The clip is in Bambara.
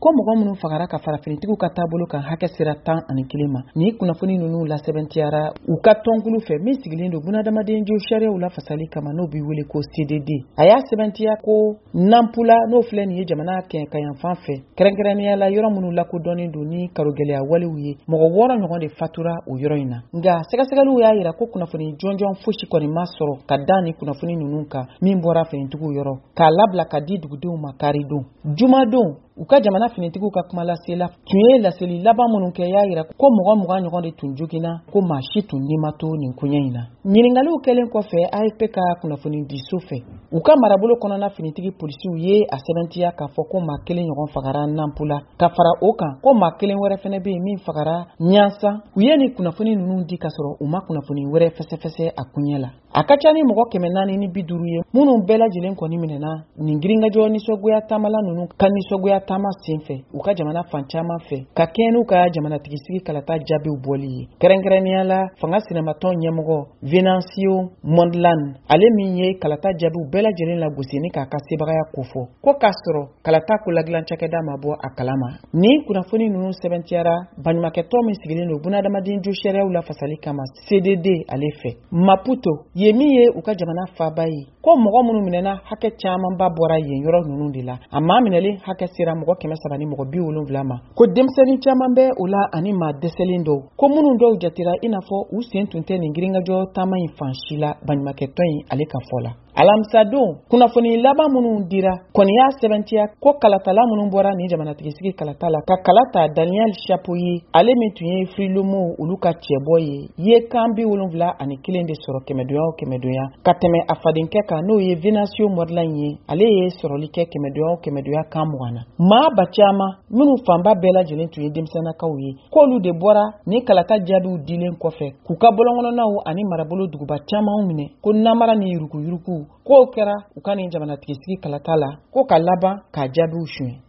Ko mɔgɔ minnu fagara ka fara finitigiw ka taabolo kan, hakɛ sera 11 ma. Ni kunnafoni ninnu lasɛbɛntiyara u ka tɔnkulu fɛ min sigilen don bunadamaden jo sariyaw lafasali kama, n'o bɛ wele ko CDD. A y'a sɛbɛntiya ko Nampula, n'o filɛ nin ye jamana kɛɲɛkayanfan fɛ, kɛrɛnkɛrɛnnenya la yɔrɔ minnu lakodɔnnen don ni karogɛlɛya walew ye, mɔgɔ 6 ɲɔgɔn de fatura o yɔrɔ in na. Nka sɛgɛsɛgɛliw y'a yira ko kunnafoni jɔnjɔn fosi kɔni ma sɔrɔ ka da ni kunnafoni ninnu kan min bɔra finitigiw yɔrɔ k'a labila ka di dugudenw ma karidon. Jumadon, u ka jamana finitigiw ka kumalasela tun ye laseli laban minnu kɛ, y'a yira ko mɔgɔ 20 ɲɔgɔn de tun joginna, ko maa si tun ni ma to nin koɲɛ in na. Ɲiningaliw kɛlen kɔfɛ AFP ka kunnafoni diso fɛ, u ka marabolo kɔnɔna finitigi polisiw ye a sɛbɛntiya k'a fɔ ko maa kelen ɲɔgɔn fagara Nampula, ka fara o kan ko maa kelen wɛrɛ fɛnɛ bɛ yen min fagara Ɲansan. U ye nin kunnafoni ninnu di ka sɔrɔ u ma kunnafoni wɛrɛ fɛsɛfɛsɛ a koɲɛ la. A ka ca ni mɔgɔ 450 ye minnu bɛɛ lajɛlen kɔni minɛna nin girinkajɔ nisɔngoya taamala ninnu ka nisɔngoya taama senfɛ u ka jamana fan caman fɛ, ka kɛɲɛ n'u ka jamanatigisigi kalata jaabiw bɔli ye. Kɛrɛnkɛrɛnnenya la, fanga sinamatɔn ɲɛmɔgɔ Venancio Mondlane, ale min ye kalata jaabiw bɛɛ lajɛlen lagosi ni k'a ka sebagaya kofɔ, ko k'a sɔrɔ kalata koladilan cakɛda ma bɔ a kalama. Nin kunnafoni ninnu sɛbɛntiyara baɲumankɛtɔn min sigilen don bunadamaden jo sariyaw lafasali kama, CDD, ale fɛ Maputo ye, min ye u ka jamana faaba ye. Ko mɔgɔ minnu minɛna, hakɛ camanba bɔra yen yɔrɔ ninnu de la. A maa minɛlen hakɛ sera mɔgɔ 370 ma, ko denmisɛnnin caman bɛ o la ani maa dɛsɛlen dɔw, ko minnu dɔw jatera i n'a fɔ u sen tun tɛ nin girinkajɔ taama in fan si la, baɲumankɛtɔn in ale ka fɔ la. Alamisadon, kunnafoni laban minnu dira kɔni y'a sɛbɛntiya ko kalatala minnu bɔra nin jamanatigisigi kalata la ka kala ta Daniel Chapo ye, ale min tun ye Frelimo olu ka cɛbɔ ye, ye kan 71 de sɔrɔ kɛmɛdonya o kɛmɛdonya, ka tɛmɛ a fadenkɛ kan, n'o ye Venancio Mondlane ye. Ale ye sɔrɔli kɛ kɛmɛdonya o kɛmɛdonya kan 20 na. Maa ba caman minnu fanba bɛɛ lajɛlen tun ye denmisɛnnakaw ye, k'olu de bɔra ni kalata jaabiw dilen kɔfɛ k'u ka bɔlɔnkɔnɔnaw ani marabolo duguba camanw minɛ, ko namara ni yuruguyurugu k'o kɛra u ka nin jamanatigisigi kalata la, ko ka laban k'a jaabiw suɲɛ.